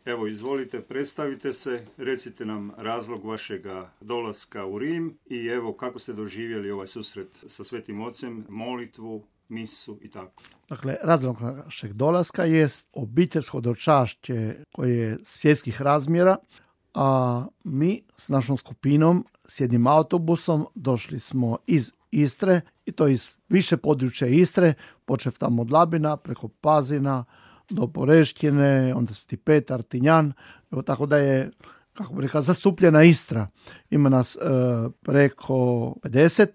Evo, izvolite, predstavite se, recite nam razlog vašega dolaska u Rim i evo kako ste doživjeli ovaj susret sa Svetim Ocem, molitvu, misu i tako. Dakle, razlog našeg dolaska je obiteljsko dočašće koje je svjetskih razmjera, a mi s našom skupinom s jednim autobusom došli smo iz Istre i to iz više područja Istre, počev tamo od Labina, preko Pazina, do Poreštine, onda Sveti Petar, Tinjan, evo tako da je, kako bi rekao, zastupljena Istra. Ima nas preko 50.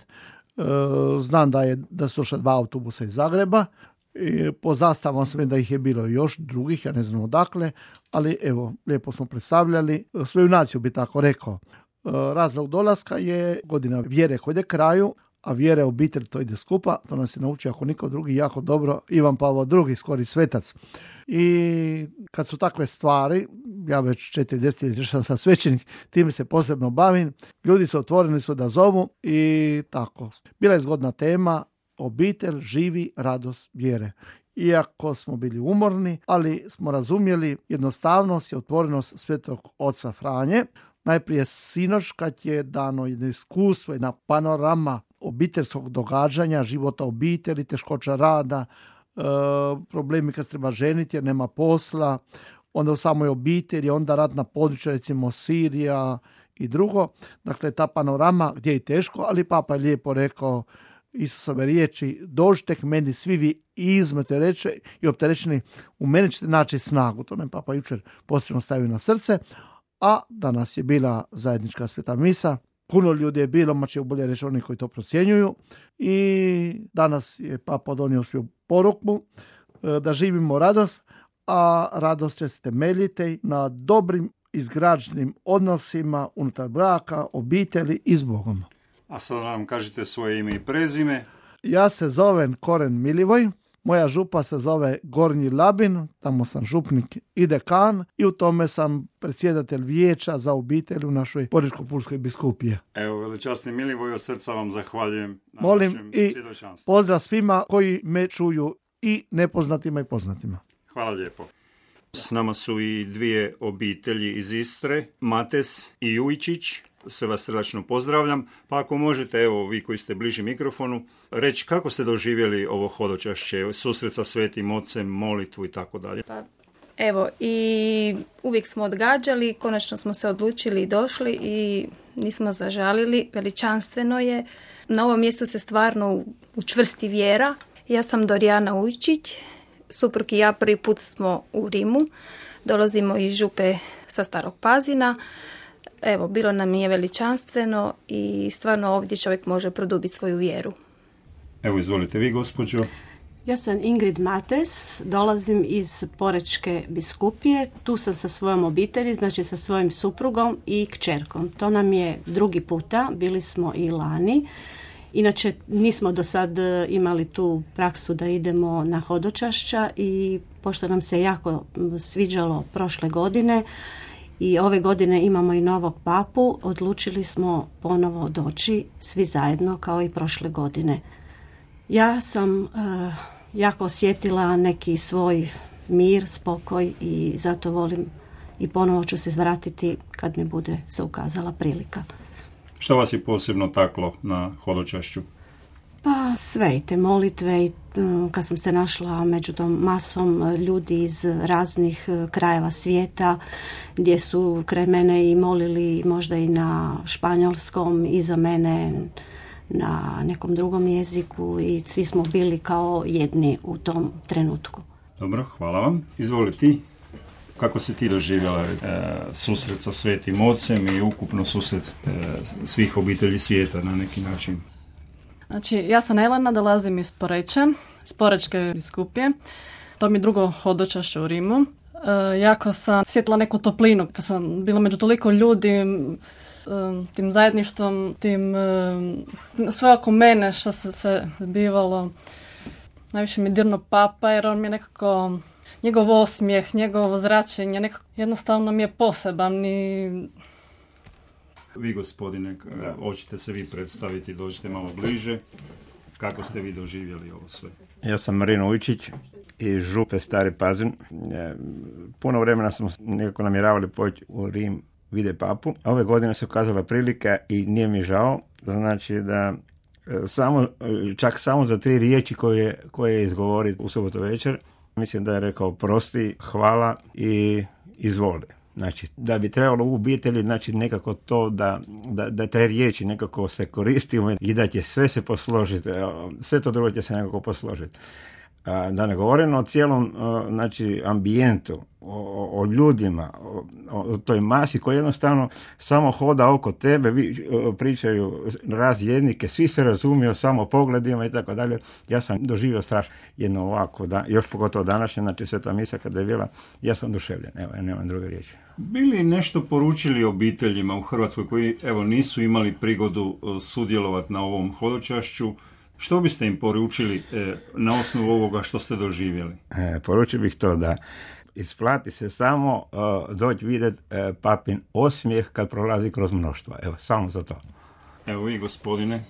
Znam da su došla 2 autobusa iz Zagreba. I po zastavama sam da ih je bilo još drugih, ja ne znam odakle, ali evo, lijepo smo predstavljali svoju naciju, bi tako rekao. Razlog dolaska je godina vjere koja ide kraju, a vjere obitelj to ide skupa, to nas je naučio ako niko drugi jako dobro Ivan Pavao II, skori svetac. I kad su takve stvari, ja već 4 desetljeća sam svećenik, time se posebno bavim, ljudi su otvoreni su da zovu i tako. Bila je zgodna tema, obitelj živi radost vjere. Iako smo bili umorni, ali smo razumjeli jednostavnost i otvorenost Svetog oca Franje. Najprije sinoć kad je dano jedno iskustvo, jedna panorama obiteljskog događanja, života obitelji, teškoća rada, problemi kad se treba ženiti jer nema posla, onda u samoj obitelji, onda ratna područja, recimo Sirija i drugo. Dakle, ta panorama gdje je teško, ali Papa je lijepo rekao Isusove riječi, dođite k meni svi vi izmete reče i opterećeni, u meni ćete naći snagu. To nam Papa jučer posebno stavio na srce, a danas je bila zajednička sveta misa. Puno ljudi je bilo, mače bolje reći oni koji to procjenjuju, i danas je Papa donio svoju poruku da živimo radost, a radost će se temeljiti na dobrim izgrađenim odnosima unutar braka, obitelji i s Bogom. A sad nam kažete svoje ime i prezime. Ja se zovem Koren Milivoj, moja župa se zove Gornji Labin, tamo sam župnik i dekan i u tome sam predsjedatelj vijeća za obitelj u našoj Porečko-Pulskoj biskupiji. Evo, veličasni Milivoj, od srca vam zahvaljujem na Molim vašem i svjedočanstvu. pozdrav svima koji me čuju, i nepoznatima i poznatima. Hvala lijepo. S nama su i 2 obitelji iz Istre, Mates i Jujičić. Sve vas srdačno pozdravljam. Pa ako možete, evo vi koji ste bliži mikrofonu, reći kako ste doživjeli ovo hodočašće, susret sa Svetim Ocem, molitvu i tako dalje. Pa, evo, i uvijek smo odgađali, konačno smo se odlučili i došli i nismo zažalili, veličanstveno je. Na ovom mjestu se stvarno učvrsti vjera. Ja sam Dorijana Ujčić, suprug i ja prvi put smo u Rimu, dolazimo iz župe sa Starog Pazina. Evo, bilo nam je veličanstveno i stvarno ovdje čovjek može produbiti svoju vjeru. Evo, izvolite vi, gospođo. Ja sam Ingrid Mates, dolazim iz Porečke biskupije. Tu sam sa svojom obitelji, znači sa svojim suprugom i kćerkom. To nam je drugi puta, bili smo i lani. Inače, nismo do sad imali tu praksu da idemo na hodočašća i pošto nam se jako sviđalo prošle godine i ove godine imamo i novog papu, odlučili smo ponovo doći svi zajedno kao i prošle godine. Ja sam jako osjetila neki svoj mir, spokoj i zato volim i ponovo ću se vratiti kad mi bude se ukazala prilika. Što vas je posebno taklo na hodočašću? Pa sve i te molitve i kad sam se našla među tom masom ljudi iz raznih krajeva svijeta gdje su kraj mene i molili možda i na španjolskom i za mene na nekom drugom jeziku i svi smo bili kao jedni u tom trenutku. Dobro, hvala vam. Izvoli ti. Kako si ti doživjela susret sa Svetim Ocem i ukupno susret svih obitelji svijeta na neki način? Znači, ja sam Elena, dolazim iz Poreča, iz Porečke biskupije. To mi je drugo hodočašće u Rimu. Jako sam osjetila neku toplinu kad sam bila među toliko ljudi, tim zajedništvom, tim sve oko mene što se sve zbivalo. Najviše mi dirno Papa jer on mi je nekako, njegov osmijeh, njegovo zračenje, nekako jednostavno mi je poseban i... Vi, gospodine, hoćete se vi predstaviti, dođite malo bliže. Kako ste vi doživjeli ovo sve? Ja sam Marino Ujčić iz Župe Stari Pazin. Puno vremena smo nekako namjeravali poći u Rim vide papu. Ove godine se ukazala prilika i nije mi žao. Znači da čak samo za 3 riječi koje je izgovori u subotu večer, mislim da je rekao prosti, hvala i izvoli. Znači, da bi trebalo u obitelji, znači nekako to da te riječi nekako se koristimo i da će sve se posložiti, sve to drugo će se nekako posložiti. Da ne govorim o cijelom znači, ambijentu, o ljudima, o toj masi koja jednostavno samo hoda oko tebe, pričaju razjednike, svi se razumiju samo pogledima i tako dalje. Ja sam doživio strašno jedno ovako, još pogotovo današnje, znači Sveta misa kada je bila, ja sam oduševljen, evo, nemam druge riječi. Bili nešto poručili obiteljima u Hrvatskoj koji evo nisu imali prigodu sudjelovati na ovom hodočašću? Što biste im poručili na osnovu ovoga što ste doživjeli? Poručio bih to da isplati se samo doći vidjeti papin osmijeh kad prolazi kroz mnoštva. Evo, samo za to. Evo vi, gospodine.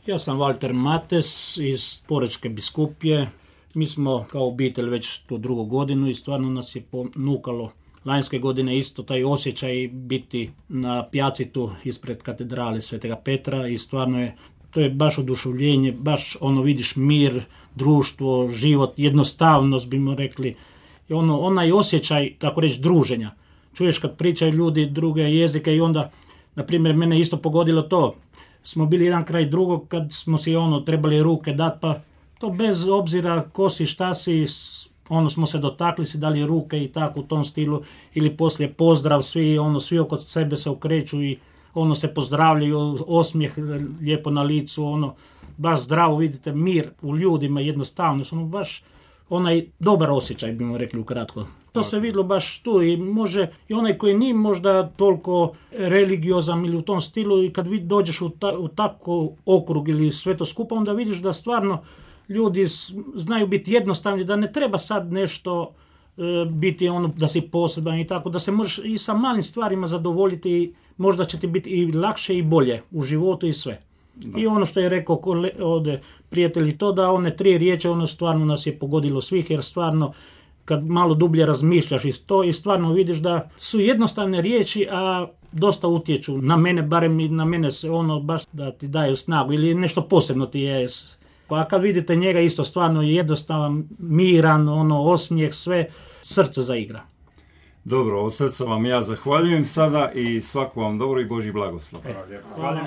Ja sam Walter Mates iz Porečke biskupije. Mi smo kao obitelj već tu 2. godinu i stvarno nas je ponukalo lanjske godine isto taj osjećaj biti na pjacitu ispred katedrale Svetega Petra i stvarno je to je baš oduševljenje, baš vidiš mir, društvo, život, jednostavnost bimo rekli. I onaj osjećaj, tako reći, druženja. Čuješ kad pričaju ljudi druge jezike i onda, na primjer, mene isto pogodilo to. Smo bili jedan kraj drugog kad smo si trebali ruke dati, pa to bez obzira ko si, šta si, smo se dotakli, si dali ruke i tako u tom stilu. Ili poslije pozdrav, svi oko sebe se okreću i se pozdravljaju, osmijeh lijepo na licu, baš zdravo, vidite, mir u ljudima, jednostavno, baš onaj dobar osjećaj, bimo rekli ukratko. To se vidjelo baš tu i može, i onaj koji nije možda toliko religiozan ili u tom stilu i kad dođeš u tako okrug ili sve to skupa, onda vidiš da stvarno ljudi znaju biti jednostavni, da ne treba sad nešto biti da si poseban i tako, da se možeš i sa malim stvarima zadovoljiti i možda će ti biti i lakše i bolje u životu i sve. Da. I što je rekao ovdje prijatelji, to da one 3 riječi, stvarno nas je pogodilo svih, jer stvarno kad malo dublje razmišljaš i stvarno vidiš da su jednostavne riječi, a dosta utječu na mene, barem i na mene se baš da ti daju snagu ili nešto posebno ti je. A kad vidite njega isto stvarno je jednostavan, miran, osmijeh, sve, srce zaigra. Dobro, od srca vam ja zahvaljujem sada i svako vam dobro i Božji blagoslov. Hvala.